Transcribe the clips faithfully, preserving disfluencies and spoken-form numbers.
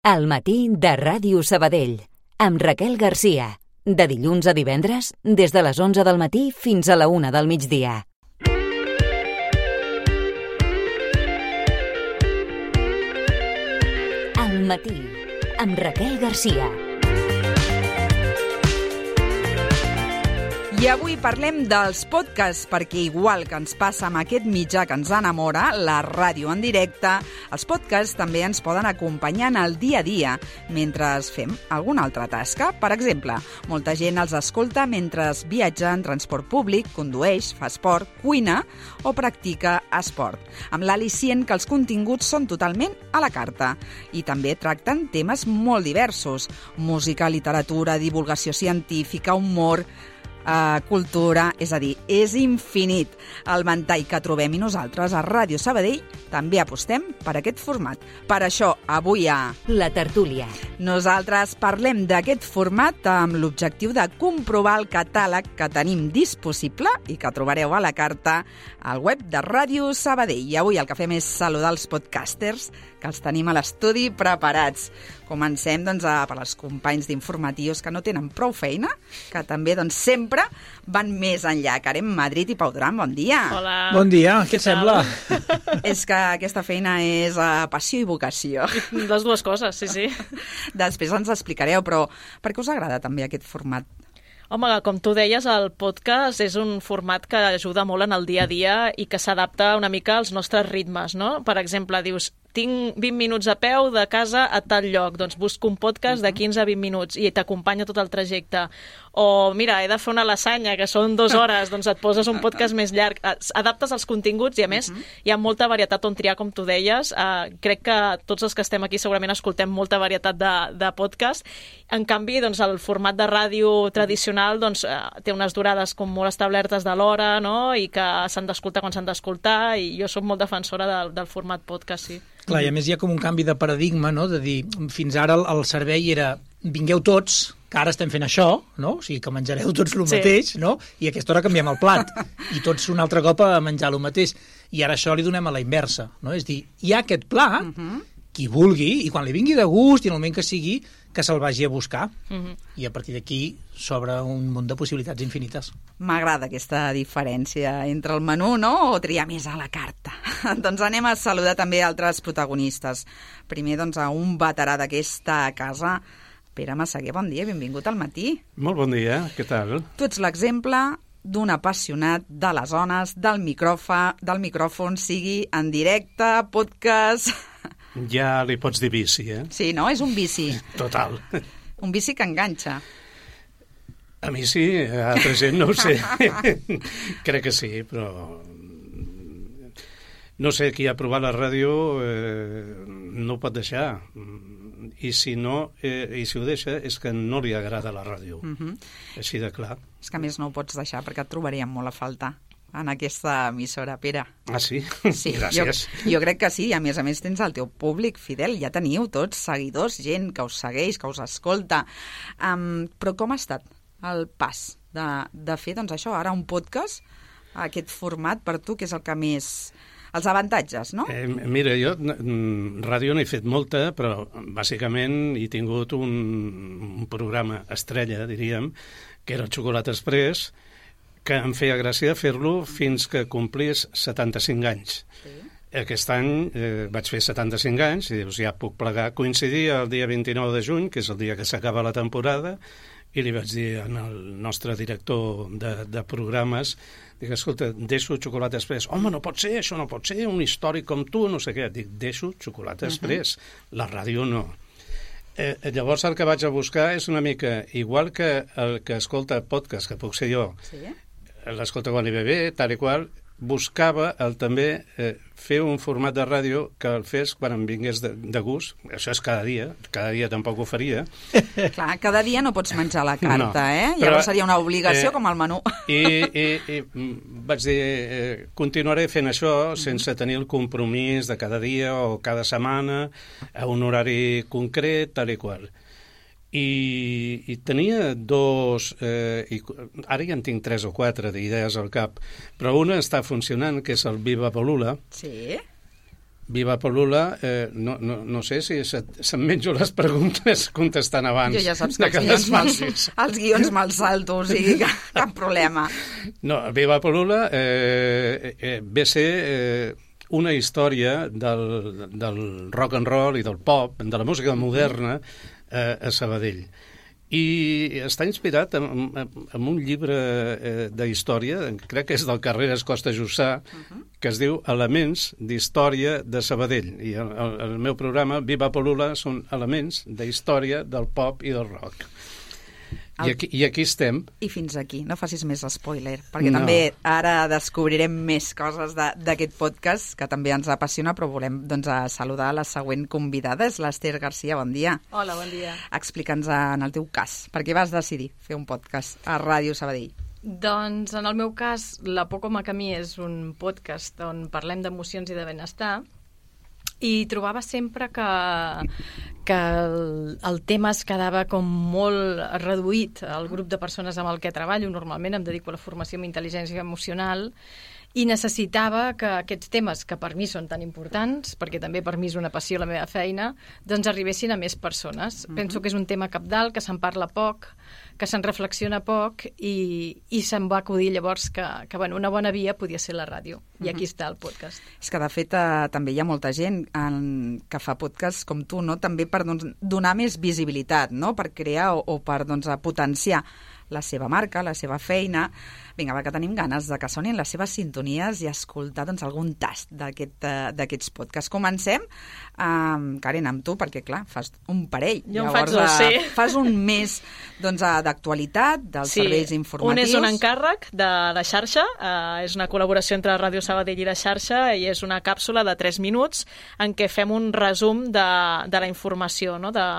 Al matí de Ràdio Sabadell, amb Raquel Garcia. De dilluns a divendres, des de les onze del matí fins a la una del migdia. Al matí, amb Raquel Garcia. I avui parlem dels podcasts, perquè igual que ens passa amb aquest mitjà que ens enamora, la ràdio en directe, els podcasts també ens poden acompanyar en el dia a dia mentre fem alguna altra tasca. Per exemple, molta gent els escolta mentre viatja en transport públic, condueix, fa esport, cuina o practica esport, amb l'al·licient que els continguts són totalment a la carta i també tracten temes molt diversos: música, literatura, divulgació científica, humor, Uh, cultura, és a dir, és infinit el ventall que trobem, i nosaltres a Ràdio Sabadell també apostem per aquest format. Per això, avui a La Tertúlia nosaltres parlem d'aquest format amb l'objectiu de comprovar el catàleg que tenim disponible i que trobareu a la carta al web de Ràdio Sabadell. I avui el que fem és saludar els podcasters, que els tenim a l'estudi preparats. Comencem doncs, a, per als companys d'informatius que no tenen prou feina, que també doncs, sempre van més enllà. Carem Madrid i Pau Duran, bon dia. Hola. Bon dia, què et sembla? És que aquesta feina és uh, passió i vocació. Les dues coses, sí, sí. Després ens explicareu, però per què us agrada també aquest format? Home, com tu deies, el podcast és un format que ajuda molt en el dia a dia i que s'adapta una mica als nostres ritmes, no? Per exemple, dius, tinc vint minuts a peu de casa a tal lloc, doncs busco un podcast de quinze a vint minuts i t'acompanya tot el trajecte. O, mira, he de fer una lasanya, que són dues hores, doncs et poses un podcast més llarg. Adaptes els continguts i, a més, hi ha molta varietat on triar, com tu deies. Uh, crec que tots els que estem aquí segurament escoltem molta varietat de, de podcast. En canvi, doncs, el format de ràdio tradicional doncs, uh, té unes durades com molt establertes de l'hora, no? I que s'han d'escoltar quan s'han d'escoltar, i jo soc molt defensora del, del format podcast, sí. Clar, i a més hi ha com un canvi de paradigma, no? De dir, fins ara el, el servei era vingueu tots, que ara estem fent això, no? O sigui, que menjareu tots el Sí. mateix, no? I a aquesta hora canviem el plat. I tots un altre cop a menjar el mateix. I ara això li donem a la inversa, no? És dir, hi ha aquest pla, uh-huh. qui vulgui, i quan li vingui de gust, i en el moment que sigui, que se'l vagi a buscar. Uh-huh. I a partir d'aquí s'obre un munt de possibilitats infinites. M'agrada aquesta diferència entre el menú, no?, o triar més a la carta. Doncs anem a saludar també altres protagonistes. Primer, doncs, a un veterà d'aquesta casa, Pere Massaguer, bon dia, benvingut al matí. Molt bon dia, què tal? Tu ets l'exemple d'un apassionat de les ones, del micròfon, del micròfon, sigui en directe, podcast... Ja li pots dir vici, eh? Sí, no? És un vici. Total. Un vici que enganxa. A mi sí, a altra gent no ho sé. Crec que sí, però... No sé, qui ha provat la ràdio eh, no ho pot deixar. I si no, eh, i si ho deixa, és que no li agrada la ràdio. Uh-huh. Així de clar. És que a més no ho pots deixar perquè et trobaríem molt a faltar en aquesta emissora, Pere. Ah, sí? Sí, gràcies. Jo, jo crec que sí, i a més a més tens el teu públic fidel, ja teniu tots seguidors, gent que us segueix, que us escolta. Um, però com ha estat el pas de, de fer, doncs això, ara un podcast, aquest format per tu, que és el que més... Els avantatges, no? Eh, mira, jo mm, ràdio n'he fet molta, però bàsicament he tingut un, un programa estrella, diríem, que era el Xocolata Express, que em feia gràcia fer-lo fins que complís setanta-cinc anys. Sí. Aquest any eh, vaig fer setanta-cinc anys i dius, ja puc plegar. Coincidia el dia vint-i-nou de juny, que és el dia que s'acaba la temporada, i li vaig dir al nostre director de, de programes, dic, escolta, deixo Xocolata Express. Home, no pot ser, això no pot ser, un històric com tu, no sé què. Dic, deixo Xocolata Express, uh-huh. La ràdio no. Eh, llavors el que vaig a buscar és una mica, igual que el que escolta podcast, que puc ser jo, sí. L'escolta quan li ve bé, tal i qual, buscava el també eh, fer un format de ràdio que el fes quan em vingués de, de gust. Això és cada dia, cada dia tampoc ho faria. Clar, cada dia no pots menjar la carta, no, eh? Però, llavors seria una obligació eh, com el menú. I, i, i vaig dir, eh, continuaré fent això sense tenir el compromís de cada dia o cada setmana, a un horari concret, tal i qual. I, i tenia dos, eh, i ara ja en tinc tres o quatre d'idees al cap, però una està funcionant, que és el Viva Bolula. Sí. Viva Polula, eh, no, no, no sé si se'm menjo les preguntes contestant abans. Jo ja saps que, que els, guions me'ls, els guions me'ls salto, o sigui, cap, cap problema. No, Viva Polula eh, eh, ve a ser eh, una història del, del rock and roll i del pop, de la música moderna eh, a Sabadell. I està inspirat en, en, en un llibre eh, d'història, crec que és del Carreras Costa Jussà, uh-huh. que es diu Elements d'història de Sabadell. I el, el, el meu programa, Viva Polula, són elements d'història del pop i del rock. El... I, aquí, I aquí estem. I fins aquí, no facis més spoiler, perquè no. també ara descobrirem més coses d'aquest podcast, que també ens apassiona, però volem doncs, a saludar la següent convidada, és l'Ester Garcia, bon dia. Hola, bon dia. Explica'ns en el teu cas, per què vas decidir fer un podcast a Ràdio Sabadell? Doncs en el meu cas, La por com a camí és un podcast on parlem d'emocions i de benestar, i trobava sempre que, que el, el tema es quedava com molt reduït al grup de persones amb el que treballo. Normalment em dedico a la formació en intel·ligència emocional i necessitava que aquests temes, que per mi són tan importants, perquè també per mi és una passió la meva feina, doncs arribessin a més persones. Uh-huh. Penso que és un tema cabdal, que se'n parla poc, que se'n reflexiona poc i, i se'm va acudir llavors que, que bueno, una bona via podia ser la ràdio. I aquí uh-huh. està el podcast. És que, de fet, eh, també hi ha molta gent en, que fa podcast com tu, no? També per doncs, donar més visibilitat, no? Per crear o, o per doncs, potenciar la seva marca, la seva feina. Vinga, va, que tenim ganes de que sonin les seves sintonies i escoltar doncs, algun tast d'aquest, uh, d'aquests podcasts. Comencem, um, Karen, amb tu, perquè, clar, fas un parell. Jo Llavors, en faig dos, sí. Uh, fas un més doncs, uh, d'actualitat, dels sí. serveis informatius. Un és un encàrrec de la xarxa, uh, és una col·laboració entre Ràdio Sabadell i la xarxa, i és una càpsula de tres minuts en què fem un resum de, de la informació, no?, de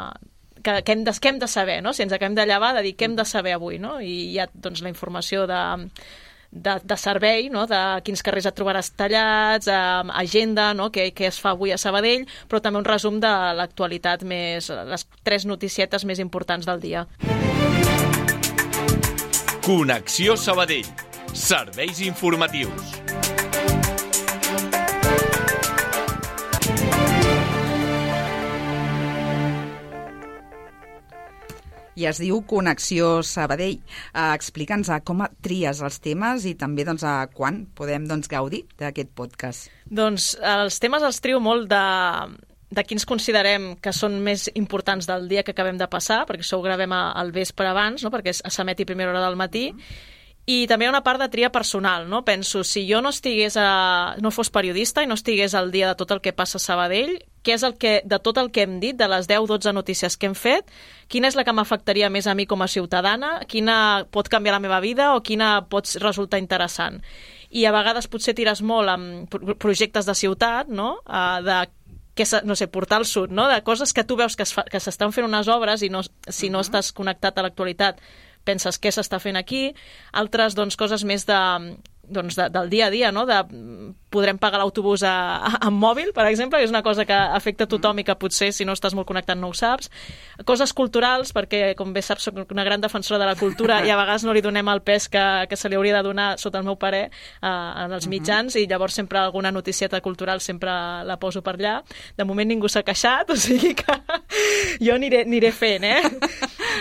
que, que, hem de, que hem de saber, no? Si ens acabem de llevar, de dir què hem de saber avui, no? I hi ha doncs, la informació de, de, de servei, no? De quins carrers et trobaràs tallats, eh, agenda, no? Què, què es fa avui a Sabadell, però també un resum de l'actualitat més, les tres noticietes més importants del dia. Connexió Sabadell. Serveis informatius. I es diu Connexió Sabadell. Uh, Explica'ns uh, com tries els temes i també doncs, uh, quan podem doncs, gaudir d'aquest podcast. Doncs els temes els trio molt de, de quins considerem que són més importants del dia que acabem de passar, perquè això ho gravem al vespre abans, no? Perquè s'emeti a primera hora del matí. I també hi ha una part de tria personal, no? Penso, si jo no estigués a, no fos periodista i no estigués al dia de tot el que passa a Sabadell, què és el que, de tot el que hem dit, de les deu dotze notícies que hem fet, quina és la que m'afectaria més a mi com a ciutadana, quina pot canviar la meva vida o quina pot resultar interessant. I a vegades potser tires molt amb projectes de ciutat, no? De que, no sé, portar al sud, no? De coses que tu veus que, es fa, que s'estan fent unes obres i no, si no estàs connectat a l'actualitat penses què s'està fent aquí, altres doncs, coses més de, doncs, de, del dia a dia, no? De, podrem pagar l'autobús a, a, amb mòbil, per exemple, que és una cosa que afecta a tothom i que potser si no estàs molt connectat no ho saps. Coses culturals, perquè com bé saps soc una gran defensora de la cultura i a vegades no li donem el pes que, que se li hauria de donar, sota el meu parer, eh, en els mitjans, i llavors sempre alguna noticieta cultural sempre la poso per allà. De moment ningú s'ha queixat, o sigui que jo aniré, aniré fent, eh?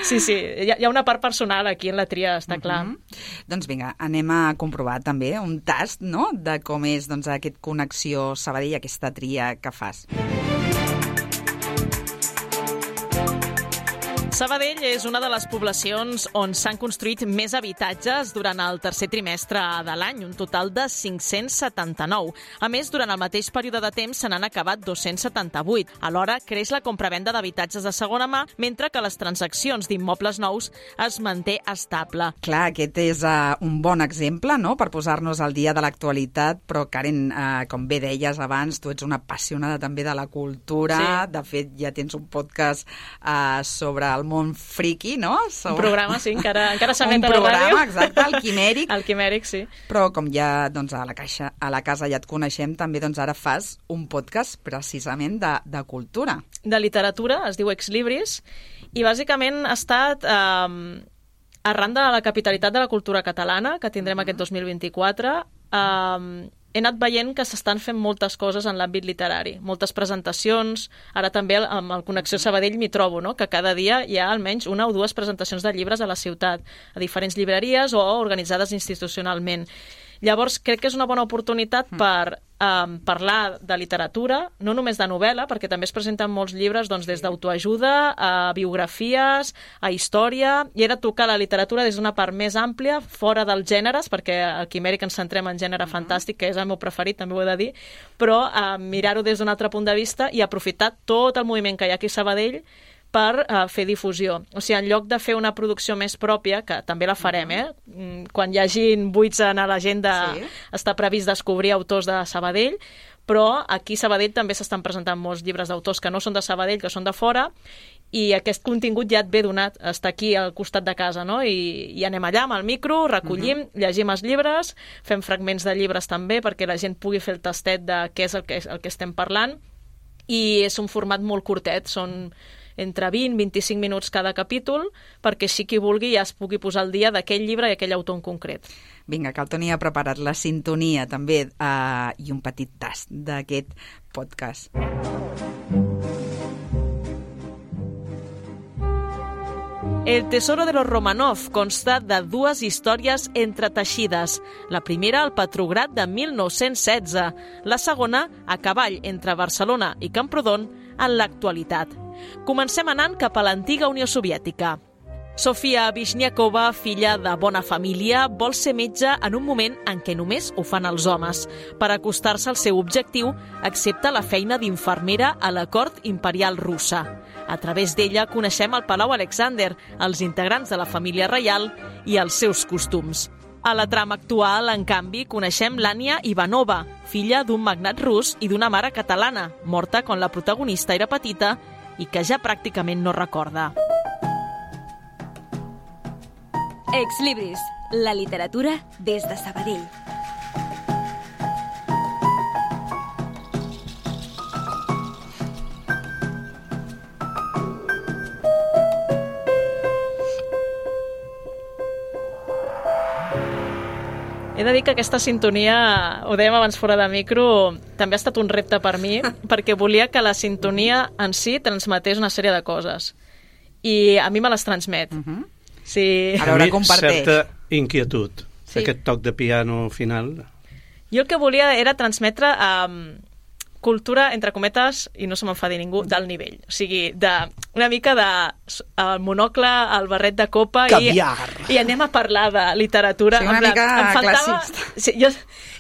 Sí, sí, hi ha, hi ha una part personal aquí en la tria, està clar. Uh-huh. Doncs vinga, anem a comprovar també un tast, no?, de com és doncs, aquest Connexió Sabadell, aquesta tria que fas. Sabadell és una de les poblacions on s'han construït més habitatges durant el tercer trimestre de l'any, un total de cinc-cents setanta-nou. A més, durant el mateix període de temps se n'han acabat dos-cents setanta-vuit. Alhora, creix la compravenda d'habitatges de segona mà, mentre que les transaccions d'immobles nous es manté estable. Clar, aquest és uh, un bon exemple, no?, per posar-nos al dia de l'actualitat, però Karen, uh, com bé deies abans, tu ets una apassionada també de la cultura, sí. De fet ja tens un podcast uh, sobre el món friqui, no? Sobre... Un programa, sí, encara, encara s'emet a la ràdio. Un programa, exacte, el Quimèric. El Quimèric, sí. Però com ja doncs, a, la caixa, a la casa ja et coneixem, també doncs, ara fas un podcast precisament de, de cultura. De literatura, es diu Ex Libris, i bàsicament ha estat eh, arran de la capitalitat de la cultura catalana, que tindrem uh-huh. aquest dos mil vint-i-quatre, eh, he anat veient que s'estan fent moltes coses en l'àmbit literari, moltes presentacions, ara també amb el Connexió Sabadell m'hi trobo, no? Que cada dia hi ha almenys una o dues presentacions de llibres a la ciutat, a diferents llibreries o organitzades institucionalment. Llavors, crec que és una bona oportunitat per um, parlar de literatura, no només de novel·la, perquè també es presenten molts llibres doncs, des d'autoajuda, a biografies, a història, i he de tocar la literatura des d'una part més àmplia, fora dels gèneres, perquè al Quimèric ens centrem en gènere uh-huh. fantàstic, que és el meu preferit, també ho he de dir, però uh, mirar-ho des d'un altre punt de vista i aprofitar tot el moviment que hi ha aquí a Sabadell per uh, fer difusió. O sigui, en lloc de fer una producció més pròpia, que també la farem, eh? Quan hi hagin buits en l'agenda sí. està previst descobrir autors de Sabadell, però aquí a Sabadell també s'estan presentant molts llibres d'autors que no són de Sabadell, que són de fora, i aquest contingut ja et ve donat, està aquí al costat de casa, no? I, i anem allà amb el micro, recollim, uh-huh. llegim els llibres, fem fragments de llibres també perquè la gent pugui fer el tastet de què és el que, el que estem parlant, i és un format molt curtet, són entre vint i vint-i-cinc minuts cada capítol, perquè així qui vulgui ja es pugui posar al dia d'aquell llibre i aquell autor en concret. Vinga, que el Toni ha preparat la sintonia també eh, i un petit tast d'aquest podcast. El tesoro de los Romanov consta de dues històries entreteixides. La primera al Petrograd de mil nou-cents setze, la segona a cavall entre Barcelona i Camprodon en l'actualitat. Comencem anant cap a l'antiga Unió Soviètica. Sofia Vishniakova, filla de bona família, vol ser metge en un moment en què només ho fan els homes. Per acostar-se al seu objectiu, accepta la feina d'infermera a la cort imperial russa. A través d'ella coneixem el Palau Alexander, els integrants de la família reial i els seus costums. A la trama actual, en canvi, coneixem l'Ània Ivanova, filla d'un magnat rus i d'una mare catalana, morta quan la protagonista era petita i que ja pràcticament no recorda. Ex Libris, la literatura des de Sabadell. He de dir que aquesta sintonia, ho dèiem abans fora de micro, també ha estat un repte per mi, perquè volia que la sintonia en si transmetés una sèrie de coses. I a mi me les transmet. Uh-huh. Sí. A veure, comparteix. Certa inquietud, sí. Aquest toc de piano final. Jo el que volia era transmetre um, cultura, entre cometes, i no se m'enfadi ningú, del nivell. O sigui, de, una mica de el monocle, el barret de copa i, i anem a parlar de literatura. Sí, una mica em faltava, classista. Sí, jo,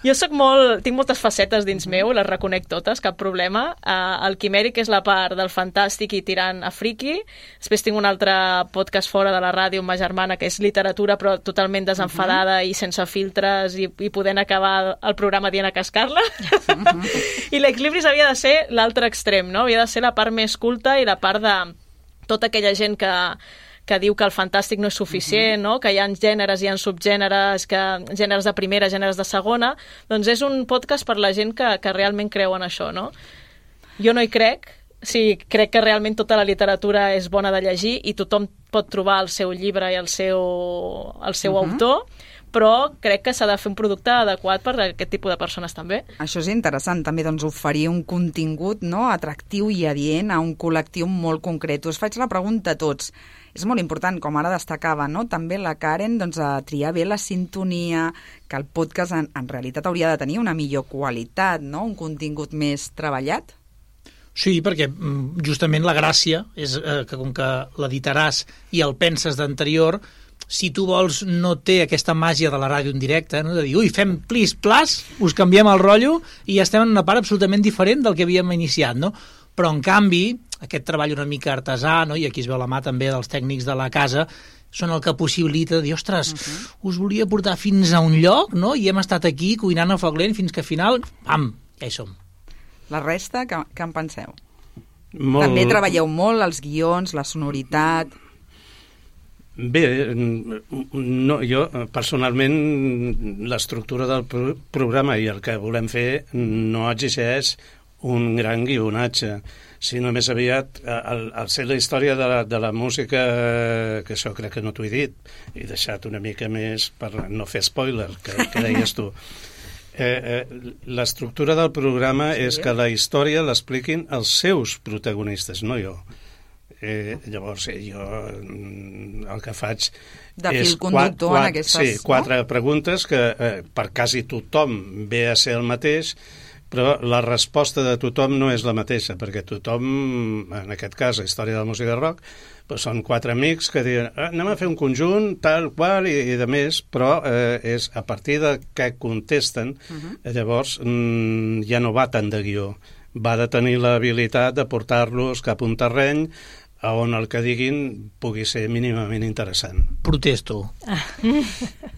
jo soc molt, tinc moltes facetes dins meu, les reconec totes, cap problema. Uh, el Quimèric és la part del fantàstic i tirant a friki. Després tinc un altre podcast fora de la ràdio amb ma germana, que és literatura, però totalment desenfadada uh-huh. i sense filtres, i, i podent acabar el programa dient a cascar-la. Uh-huh. I l'Ex Libris havia de ser l'altre extrem, no? Havia de ser la part més culta i la part de tota aquella gent que, que diu que el fantàstic no és suficient, uh-huh. no? Que hi ha gèneres, hi ha subgèneres, que gèneres de primera, gèneres de segona, doncs és un podcast per la gent que, que realment creu en això, no? Jo no hi crec, sí, crec que realment tota la literatura és bona de llegir i tothom pot trobar el seu llibre i el seu, el seu uh-huh. autor, però crec que s'ha de fer un producte adequat per a aquest tipus de persones també. Això és interessant, també doncs, oferir un contingut, no?, atractiu i adient a un col·lectiu molt concret. Us faig la pregunta a tots. És molt important, com ara destacava, no?, també la Karen, doncs, a triar bé la sintonia, que el podcast en, en realitat hauria de tenir una millor qualitat, no?, un contingut més treballat. Sí, perquè justament la gràcia és eh, que com que l'editaràs i el penses d'anterior, si tu vols, no té aquesta màgia de la ràdio en directe, no? De dir, ui, fem plis, plas, us canviem el rotllo i ja estem en una part absolutament diferent del que havíem iniciat, no? Però, en canvi, aquest treball una mica artesà, no? I aquí es veu la mà també dels tècnics de la casa, són el que possibilita dir, ostres, uh-huh. us volia portar fins a un lloc, no? I hem estat aquí cuinant a foc lent fins que al final, pam, ja hi som. La resta, què, què en penseu? Molt... També treballeu molt els guions, la sonoritat... Bé, no, jo personalment l'estructura del pro programa i el que volem fer no exigeix un gran guionatge, sinó més aviat el, el ser la història de la, de la música, que això crec que no t'ho he dit, he deixat una mica més per no fer spoiler, que, que deies tu. Eh, eh, l'estructura del programa sí. és que la història l'expliquin els seus protagonistes, no jo. Eh, llavors, eh, jo el que faig de és fil conductor quatre, en aquestes... Sí, quatre no? preguntes que eh, per quasi tothom ve a ser el mateix, però la resposta de tothom no és la mateixa, perquè tothom, en aquest cas, la història de la música rock, doncs són quatre amics que diuen ah, anem a fer un conjunt, tal qual, i, i de més, però eh, és a partir de què contesten, uh-huh. llavors mm, ja no va tant de guió, va de tenir l'habilitat de portar-los cap a un terreny a on el que diguin pugui ser mínimament interessant. Protesto.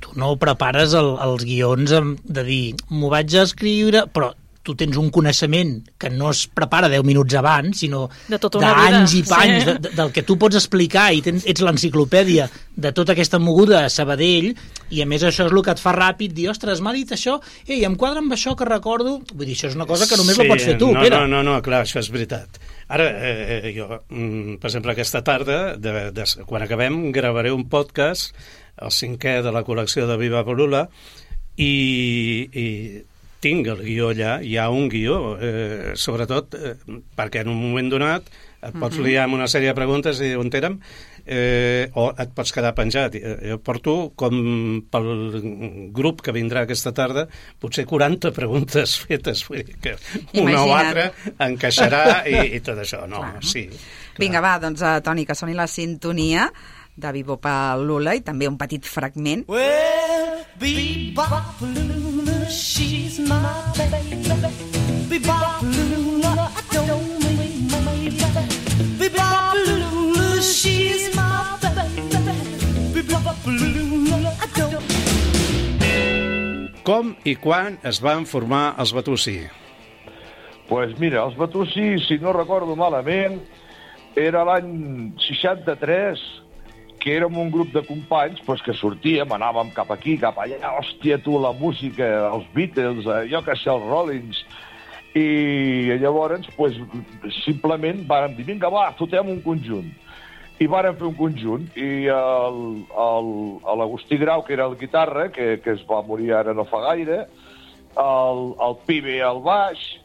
Tu no prepares el, els guions de dir, m'ho vaig a escriure, però tu tens un coneixement que no es prepara deu minuts abans, sinó d'anys i panys, sí. de, de, del que tu pots explicar, i tens, ets l'enciclopèdia de tota aquesta moguda a Sabadell, i a més això és el que et fa ràpid, dir, ostres, m'ha dit això, ei, em quadra amb això que recordo, vull dir, això és una cosa que només sí, la pots fer tu, no, Pere. No, no, no, clar, això és veritat. Ara, eh, jo, per exemple, aquesta tarda, de, de, quan acabem, gravaré un podcast, el cinquè de la col·lecció de Viva Polula, i... i tinc el guió allà, hi ha un guió, eh, sobretot eh, perquè en un moment donat et pots uh-huh. liar amb una sèrie de preguntes i on érem, eh, o et pots quedar penjat. Jo porto, com pel grup que vindrà aquesta tarda, potser quaranta preguntes fetes, vull dir que una Imagina't. o altra encaixarà i, i tot això. No, clar. sí. Clar. Vinga, va, doncs, uh, Toni, que soni la sintonia de Bebop-a-Lula i també un petit fragment. Well, Bebop-a-Lula, she's my baby. Bebop-a-Lula, I don't mean my baby. Bebop-a-Lula, she's my baby. Bebop-a-Lula, I don't... Com i quan es van formar els Batussi? Pues mira, els Batussi, si no recordo malament, era l'any seixanta-tres, que érem un grup de companys pues, que sortíem, anàvem cap aquí, cap allà, hòstia, tu, la música, els Beatles, eh, jo que sé, els Rollins, i llavors, pues, simplement vàrem dir, vinga, va, fotem un conjunt. I vàrem fer un conjunt, i l'Agustí Grau, que era el guitarra, que, que es va morir ara no fa gaire, el, el Pibe al baix,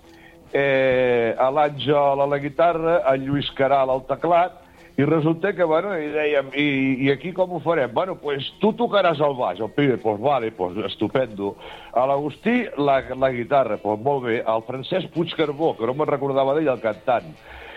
eh, l'Àngel a la guitarra, el Lluís Caral al teclat, i resulta que, bueno, i dèiem, i, i aquí com ho farem? Bueno, pues tu tocaràs el baix, el Pibe, pues vale, pues estupendo. A l'Agustí, la, la guitarra, pues molt bé. El Francesc Puigcarbó, que no me'n recordava d'ell, el cantant.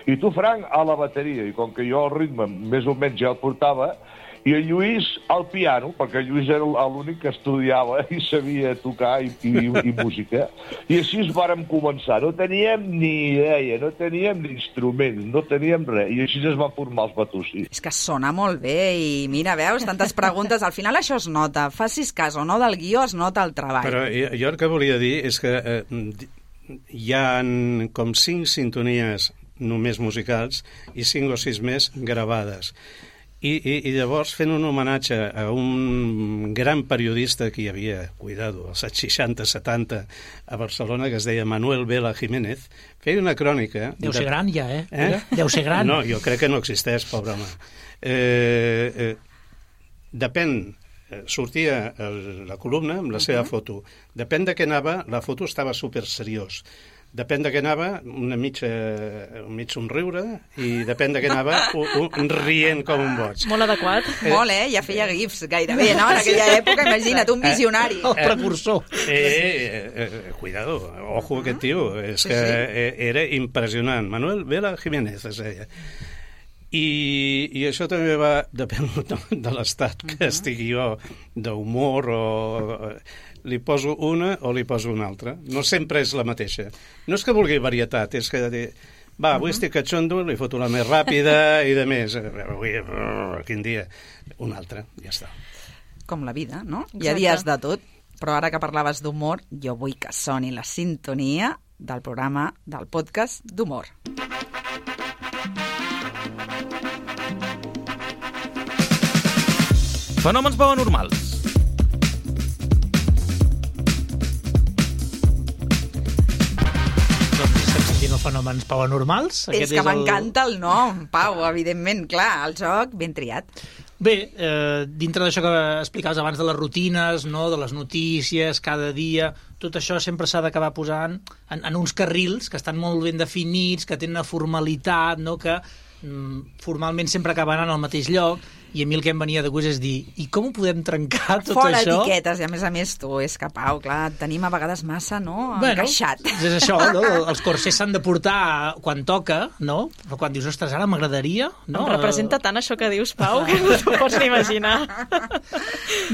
I tu, Frank, a la bateria. I com que jo el ritme més o menys ja el portava, i el Lluís al piano, perquè el Lluís era l'únic que estudiava i sabia tocar i, i, i música. I així es vàrem començar. No teníem ni idea, no teníem ni instruments, no teníem res. I així es va formar els Batussi. És que sona molt bé i mira, veus, tantes preguntes. Al final això es nota. Facis cas o no del guió, es nota el treball. Però jo, jo el que volia dir és que eh, hi ha com cinc sintonies només musicals i cinc o sis més gravades. I, i, i llavors, fent un homenatge a un gran periodista que hi havia, cuidado, als seixanta setanta a Barcelona, que es deia Manuel Vela Jiménez, feia una crònica... Deu ser de... gran ja, eh? eh? Deu ser gran. No, jo crec que no existeix, pobre home. Eh, eh, depèn, sortia el, la columna amb la seva uh-huh. foto. Depèn de què anava, la foto estava super seriós. Depèn de què anava, una mitja, un mig somriure, i depèn de què anava, un, un rient com un boig. Molt adequat. Eh, Molt, eh? Ja feia gifs gairebé, no? En aquella època, imagina't, un visionari. El precursor. Eh, eh, eh, cuidado, ojo aquest tio, és que era impressionant. Manuel Vela Jiménez, es deia. I, i això també va, depèn de l'estat que estigui jo, d'humor o... li poso una o li poso una altra. No sempre és la mateixa. No és que vulgui varietat, és que dir, va, avui uh-huh. estic catxondo, li foto la més ràpida i de més. Avui, quin dia? Una altra, ja està. Com la vida, no? Exacte. Hi ha dies de tot, però ara que parlaves d'humor, jo vull que soni la sintonia del programa, del podcast d'humor. Fenòmens paranormals. Fenòmens paranormals. És que m'encanta el nom, Pau, evidentment, clar, el joc ben triat. Bé, eh, dintre d'això que explicaves abans de les rutines, no? De les notícies, cada dia, tot això sempre s'ha d'acabar posant en, en uns carrils que estan molt ben definits, que tenen una formalitat, no? Que mm, formalment sempre acaben al mateix lloc, i a mi el que em venia de gust és dir, i com ho podem trencar tot Fora això? Fora etiquetes, i a més a més tu, és que Pau, clar, tenim a vegades massa, no?, bueno, encaixat. És això, no? Els corsers s'han de portar quan toca, no? Però quan dius, ostres, ara m'agradaria, no? Em representa tant això que dius, Pau, que no t'ho pots ni imaginar.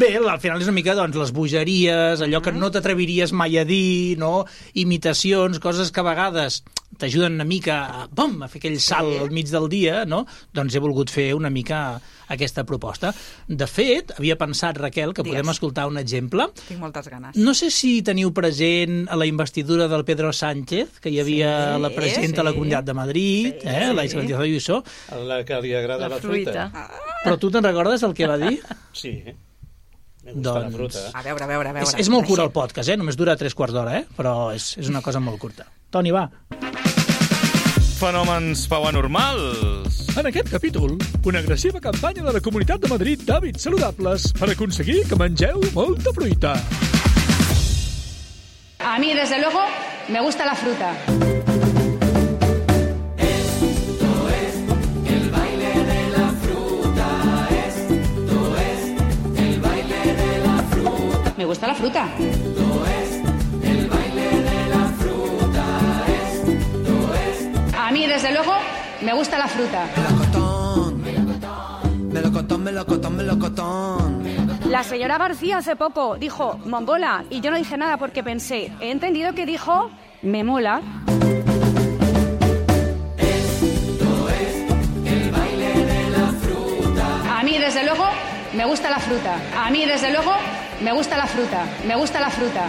Bé, al final és una mica, doncs, les bogeries, allò que no t'atreviries mai a dir, no? Imitacions, coses que a vegades t'ajuden una mica a, bom, a fer aquell salt al mig del dia, no? Doncs he volgut fer una mica aquesta proposta. De fet, havia pensat, Raquel, que Digues. podem escoltar un exemple. Tinc moltes ganes. No sé si teniu present a la investidura del Pedro Sánchez, que hi havia Sí, la presidenta sí. de la Comunitat de Madrid, Sí, eh, la sí. Isabel Díaz Ayuso. A la que li agrada la, La fruita. Però tu te'n recordes el que va dir? Sí, me gusta la Doncs- fruta. A veure, a veure, a veure. És, és molt curt el podcast, eh? Només dura tres quarts d'hora, eh? Però és, és una cosa molt curta. Toni, va. Fenòmens pauanormals. En aquest capítol, una agressiva campanya de la Comunitat de Madrid d'hàbits saludables per aconseguir que mengeu molta fruita. A mí, desde luego, me gusta la fruta. Me gusta la fruta. A mí, desde luego, me gusta la fruta. Melocotón, melocotón, melocotón. La señora García hace poco dijo, mombola, y yo no dije nada porque pensé, he entendido que dijo, me mola. A mí, desde luego, me gusta la fruta. A mí, desde luego, me gusta la fruta. Me gusta la fruta.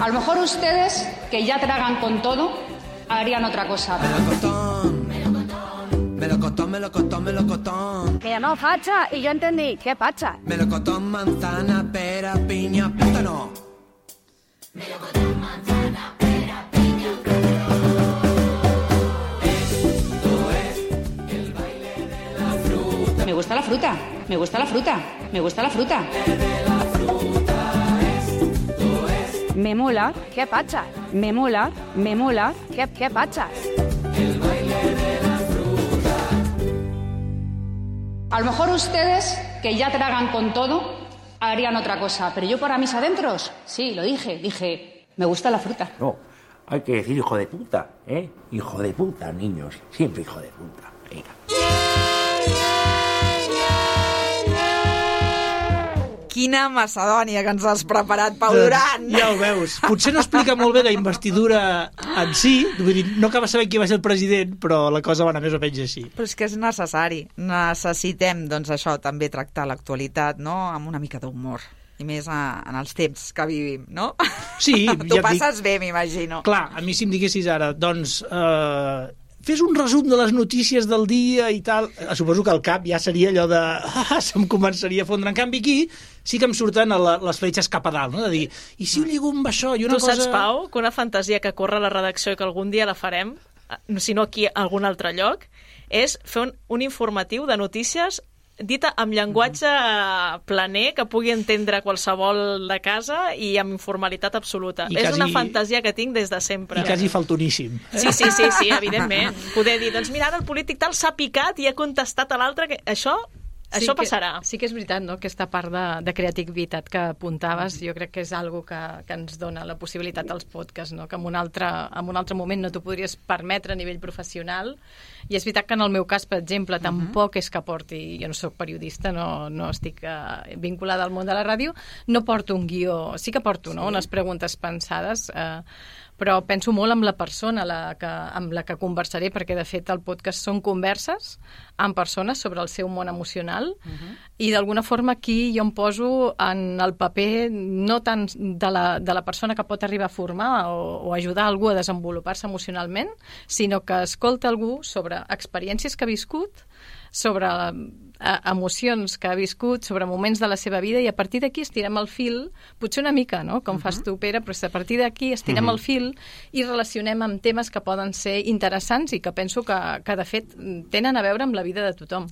A lo mejor ustedes, que ya tragan con todo, harían otra cosa. Melocotón, melocotón, melocotón. Me llamó facha y yo entendí, ¿qué pacha? Melocotón, manzana, pera, piña, plátano. Me gusta la fruta. Me gusta la fruta. Me gusta la fruta. Me mola, ¿qué pacha? Me mola, me mola, ¿qué, qué pacha? A lo mejor ustedes, que ya tragan con todo, harían otra cosa. Pero yo para mis adentros, sí, lo dije. Dije, me gusta la fruta. No, hay que decir hijo de puta, ¿eh? Hijo de puta, niños. Siempre hijo de puta. Venga. Quina macedònia que ens has preparat, Pau Duran! Ja ho veus. Potser no explica molt bé la investidura en si, vull dir, no acaba sabent qui va ser el president, però la cosa va anar més o menys així. Però és que és necessari. Necessitem, doncs, això, també tractar l'actualitat, no?, amb una mica d'humor. I més a, en els temps que vivim, no? Sí, Tu ja et passes dic... bé, m'imagino. Clar, a mi si em diguessis ara, doncs... Eh... fes un resum de les notícies del dia i tal, suposo que al cap ja seria allò de... Ah, se'm començaria a fondre. En canvi, aquí sí que em surten a la, les fletxes cap a dalt, no? De dir, i si ho lligo amb això? I una tu cosa... saps, Pau, que una fantasia que corre a la redacció i que algun dia la farem, si no aquí a algun altre lloc, és fer un, un informatiu de notícies dita amb llenguatge planer que pugui entendre qualsevol de casa i amb informalitat absoluta. I és quasi... una fantasia que tinc des de sempre. I quasi faltoníssim. Sí, sí, sí, sí, evidentment. Poder dir, doncs mira, ara el polític tal s'ha picat i ha contestat a l'altre que això... Sí Això que, passarà. sí que és veritat, no?, aquesta part de, de creativitat que apuntaves, jo crec que és algo que, que ens dona la possibilitat als podcasts, no?, que en un altre, en un altre moment no t'ho podries permetre a nivell professional. I és veritat que en el meu cas, per exemple, uh-huh. tampoc és que porti... Jo no sóc periodista, no, no estic uh, vinculada al món de la ràdio, no porto un guió... Sí que porto, no?, unes preguntes pensades... Uh, però penso molt amb la persona la que, amb la que conversaré, perquè de fet el podcast són converses amb persones sobre el seu món emocional uh-huh. i d'alguna forma aquí jo em poso en el paper no tant de la, de la persona que pot arribar a formar o, o ajudar algú a desenvolupar-se emocionalment, sinó que escolta algú sobre experiències que ha viscut, sobre eh, emocions que ha viscut, sobre moments de la seva vida, i a partir d'aquí estirem el fil, potser una mica, no?, com uh-huh. fas tu, Pere, però a partir d'aquí estirem uh-huh. el fil fil i relacionem amb temes que poden ser interessants i que penso que, que de fet, tenen a veure amb la vida de tothom.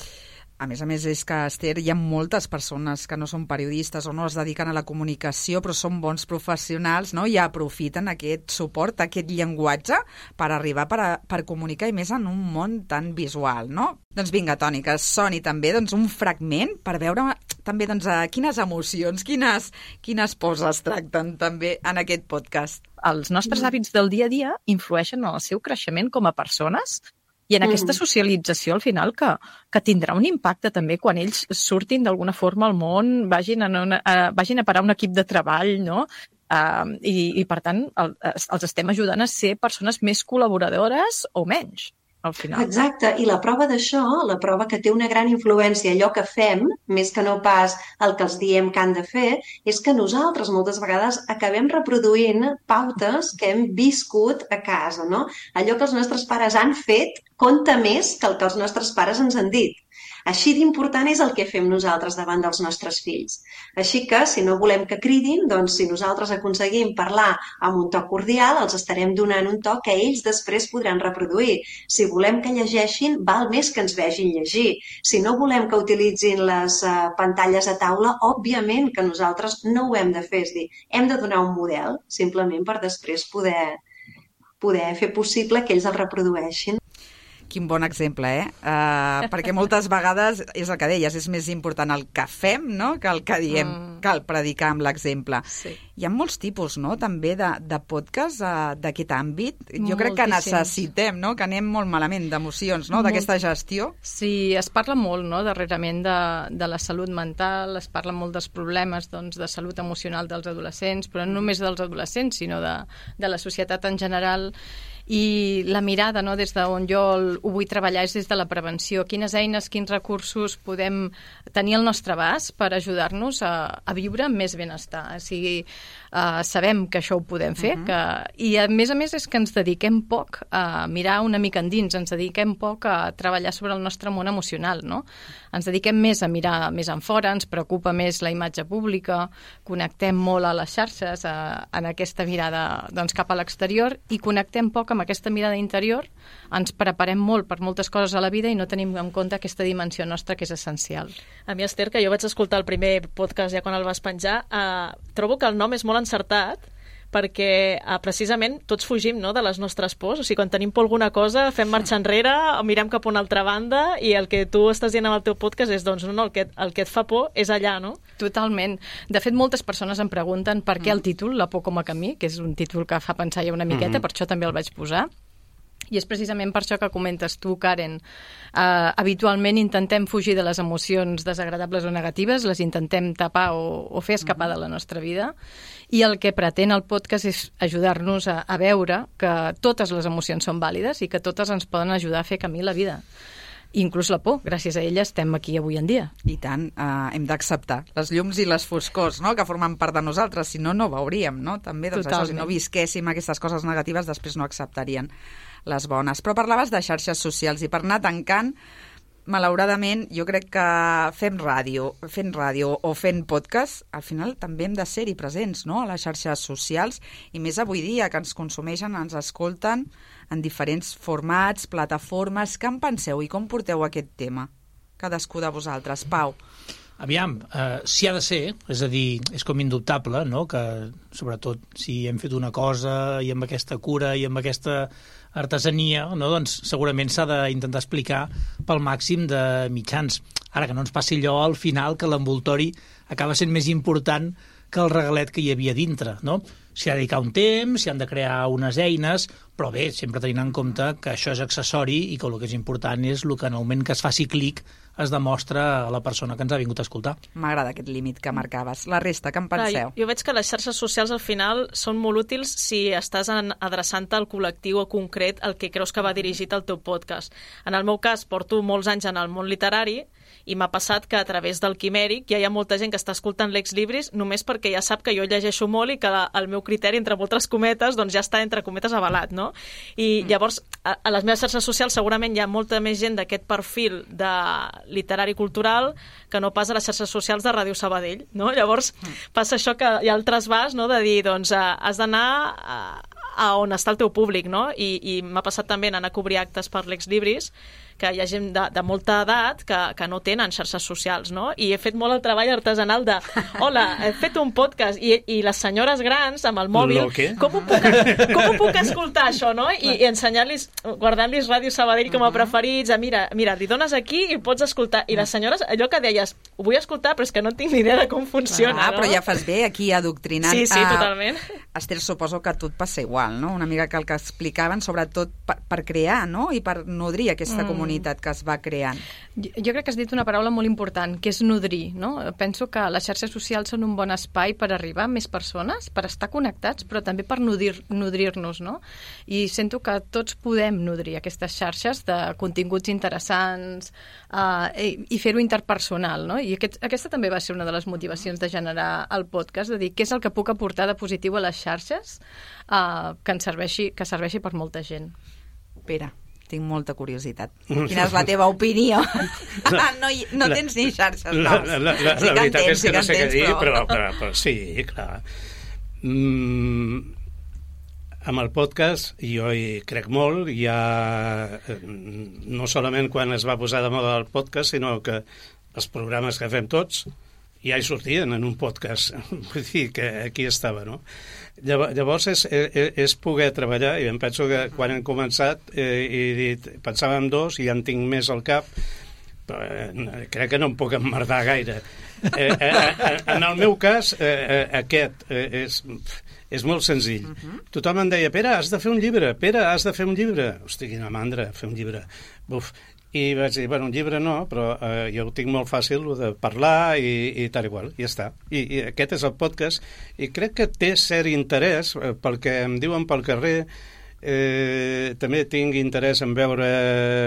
A més a més, és que, Esther, hi ha moltes persones que no són periodistes o no es dediquen a la comunicació, però són bons professionals, no? I aprofiten aquest suport, aquest llenguatge, per arribar per, a, per comunicar, i més en un món tan visual, no? Doncs vinga, Toni, que soni també doncs, un fragment per veure també doncs, quines emocions, quines, quines pors es tracten també en aquest podcast. Els nostres hàbits del dia a dia influeixen en el seu creixement com a persones i en aquesta socialització, al final, que, que tindrà un impacte també quan ells surtin d'alguna forma al món, vagin a, una, a, vagin a parar un equip de treball, no? Uh, i, I, per tant, el, els estem ajudant a ser persones més col·laboradores o menys, al final. Exacte, i la prova d'això, la prova que té una gran influència allò que fem, més que no pas el que els diem que han de fer, és que nosaltres moltes vegades acabem reproduint pautes que hem viscut a casa, no? Allò que els nostres pares han fet compta més que el que els nostres pares ens han dit. Així d'important és el que fem nosaltres davant dels nostres fills. Així que, si no volem que cridin, doncs si nosaltres aconseguim parlar amb un to cordial, els estarem donant un to que ells després podran reproduir. Si volem que llegeixin, val més que ens vegin llegir. Si no volem que utilitzin les uh, pantalles a taula, òbviament que nosaltres no ho hem de fer. És dir, hem de donar un model, simplement per després poder, poder fer possible que ells el reprodueixin. Quin bon exemple, eh? Uh, perquè moltes vegades, és el que deies, és més important el que fem, no?, que el que diem, mm. cal predicar amb l'exemple. Sí. Hi ha molts tipus, no?, també de, de podcast uh, d'aquest àmbit. Jo Moltíssims. crec que necessitem, no?, que anem molt malament d'emocions, no?, d'aquesta gestió. Sí, es parla molt, no?, darrerament de, de la salut mental, es parla molt dels problemes, doncs, de salut emocional dels adolescents, però no només dels adolescents, sinó de, de la societat en general. I la mirada, no, des d'on jo ho vull treballar és des de la prevenció. Quines eines, quins recursos podem tenir al nostre abast per ajudar-nos a, a viure amb més benestar. O sigui, uh, sabem que això ho podem fer, uh-huh. que, i a més a més és que ens dediquem poc a mirar una mica endins, ens dediquem poc a treballar sobre el nostre món emocional, no? Ens dediquem més a mirar més en fora, ens preocupa més la imatge pública, connectem molt a les xarxes, a, en aquesta mirada doncs, cap a l'exterior, i connectem poc amb aquesta mirada interior, ens preparem molt per moltes coses a la vida i no tenim en compte aquesta dimensió nostra que és essencial. A mi, Esther, que jo vaig escoltar el primer podcast ja quan el vas penjar, eh, trobo que el nom és molt encertat, perquè eh, precisament tots fugim, no?, de les nostres pors. O sigui, quan tenim por alguna cosa, fem marxa enrere, mirem cap a una altra banda, i el que tu estàs dient amb el teu podcast és, doncs, no, el que, el que et fa por és allà, no? Totalment. De fet, moltes persones em pregunten per què el títol, La por com a camí, que és un títol que fa pensar ja una miqueta, mm-hmm. per això també el vaig posar. I és precisament per això que comentes tu, Karen. Uh, habitualment intentem fugir de les emocions desagradables o negatives, les intentem tapar o, o fer escapar de la nostra vida, i el que pretén el podcast és ajudar-nos a, a veure que totes les emocions són vàlides i que totes ens poden ajudar a fer camí la vida. Inclús la por, gràcies a ella estem aquí avui en dia. I tant, eh, hem d'acceptar les llums i les foscors, no?, que formen part de nosaltres, si no, no veuríem, no? També, doncs, això, si no visquéssim aquestes coses negatives, després no acceptarien les bones. Però parlaves de xarxes socials, i per anar tancant, malauradament, jo crec que fem ràdio, fent ràdio o fent podcast, al final també hem de ser-hi presents, no?, a les xarxes socials, i més avui dia, que ens consumeixen, ens escolten en diferents formats, plataformes. Què en penseu i com porteu aquest tema? Cadascú de vosaltres. Pau. Aviam, eh, si ha de ser, és a dir, és com indubtable, no?, que sobretot si hem fet una cosa i amb aquesta cura i amb aquesta artesania, no?, doncs segurament s'ha d'intentar explicar pel màxim de mitjans. Ara, que no ens passi allò al final, que l'envoltori acaba sent més important que el regalet que hi havia dintre, no? S'hi ha de dedicar un temps, s'hi han de crear unes eines, però bé, sempre tenint en compte que això és accessori i que el que és important és el que en el moment que es faci clic es demostra a la persona que ens ha vingut a escoltar. M'agrada aquest límit que marcaves. La resta, què en penseu? Clar, jo veig que les xarxes socials al final són molt útils si estàs adreçant-te al col·lectiu concret al que creus que va dirigit el teu podcast. En el meu cas, porto molts anys en el món literari i m'ha passat que a través del Quimèric ja hi ha molta gent que està escoltant l'Ex Libris només perquè ja sap que jo llegeixo molt i que el meu criteri, entre moltes cometes, doncs ja està entre cometes avalat, no? I llavors, a, a les meves xarxes socials segurament hi ha molta més gent d'aquest perfil de literari cultural que no pas a les xarxes socials de Ràdio Sabadell, no? Llavors passa això que hi ha el trasbàs, no?, de dir, doncs, has d'anar a a on està el teu públic, no? I, i m'ha passat també anar a cobrir actes per l'Exlibris, que hi ha gent de, de molta edat que, que no tenen xarxes socials, no? I he fet molt el treball artesanal de hola, he fet un podcast i, i les senyores grans amb el mòbil, com ho, puc, com ho puc escoltar això, no? I, i ensenyar-los, guardant-los Ràdio Sabadell com a preferits, a mira, mira, li dones aquí i pots escoltar. I les senyores, allò que deies, ho vull escoltar però és que no tinc ni idea de com funciona, ah, no? Però ja fas bé aquí adoctrinant. Sí, sí, totalment. Esther, suposo que a tu et passa igual, no? Una mica que el que explicaven, sobretot per, per crear, no? I per nodrir aquesta mm. comunitat que es va creant. Jo, jo crec que has dit una paraula molt important, que és nodrir, no? Penso que les xarxes socials són un bon espai per arribar a més persones, per estar connectats, però també per nodrir, nodrir-nos, no? I sento que tots podem nodrir aquestes xarxes de continguts interessants uh, i, i fer-ho interpersonal, no? I aquest, aquesta també va ser una de les motivacions de generar el podcast, de dir què és el que puc aportar de positiu a les xarxes uh, que ens serveixi, que serveixi per molta gent. Pere, tinc molta curiositat. Quina és la teva opinió? No, no, no tens ni xarxes noves. La, la, la, sí la veritat tens, és que sí no sé què dir, però, però... però, però sí, clar. Mm, amb el podcast jo hi crec molt, ja no solament quan es va posar de moda el podcast, sinó que els programes que fem tots ja hi sortien en un podcast, vull dir que aquí estava, no? Llavors és, és, és poder treballar, i em penso que quan hem començat eh, he dit, pensàvem dos i ja en tinc més al cap, però eh, crec que no em puc emmerdar gaire. Eh, eh, en el meu cas, eh, aquest eh, és, és molt senzill. Uh-huh. Tothom em deia, Pere, has de fer un llibre, Pere, has de fer un llibre. Hosti, quina mandra, fer un llibre. Buf. I vaig dir, bueno, un llibre no, però eh, jo ho tinc molt fàcil, de parlar i, i tal igual, i ja està. I, I aquest és el podcast, i crec que té cert interès, eh, pel que em diuen pel carrer, eh, també tinc interès en veure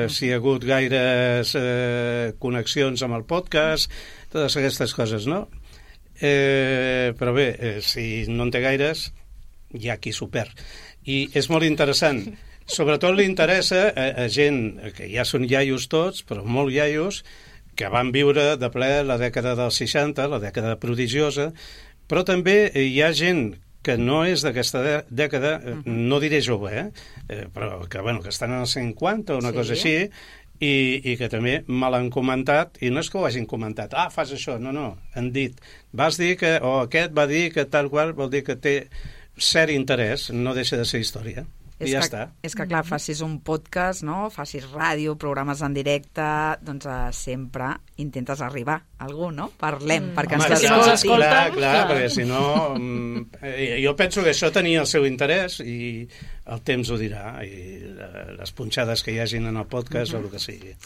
si hi ha hagut gaires eh, connexions amb el podcast, totes aquestes coses, no? Eh, però bé, eh, si no en té gaires, hi ha qui s'ho perd. I és molt interessant. Sobretot li interessa a, a gent que ja són iaios tots, però molt iaios, que van viure de ple la dècada dels seixanta, la dècada prodigiosa, però també hi ha gent que no és d'aquesta dècada, no diré jove, eh? però que, bueno, que estan als cinquanta o una sí. cosa així, i, i que també me l'han comentat, i no és que ho hagin comentat, ah, fas això, no, no, han dit, vas dir que, o aquest va dir que tal qual, vol dir que té cert interès, no deixa de ser història. És I ja que, està. És que, clar, facis un podcast, no? Facis ràdio, programes en directe, doncs uh, sempre intentes arribar a algú, no? Parlem, mm. perquè Home, ens clar, escolti. clar, clar, clar, perquè si no... Mm, jo penso que això tenia el seu interès i el temps ho dirà, i les punxades que hi hagin en el podcast mm-hmm. o el que sigui.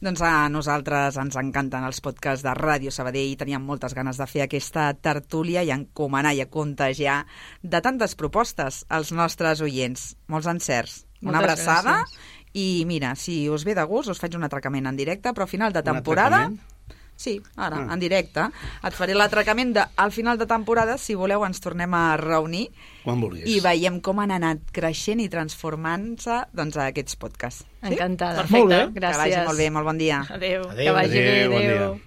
Doncs a nosaltres ens encanten els podcasts de Ràdio Sabadell i teníem moltes ganes de fer aquesta tertúlia i encomanar i a contagiar de tantes propostes als nostres oients. Molts encerts. Una Moltes abraçada gràcies. I mira, si us ve de gust us faig un atracament en directe, però a final de temporada... Sí, ara, ah. en directe. Et faré l'atracament de, al final de temporada, si voleu ens tornem a reunir quan vulguis. I veiem com han anat creixent i transformant-se doncs, a aquests podcasts. Encantada. Sí? Perfecte. Gràcies. Que vagi molt bé, molt bon dia. Adéu. Adéu. Que vagi adéu, bé, bon adéu. Dia.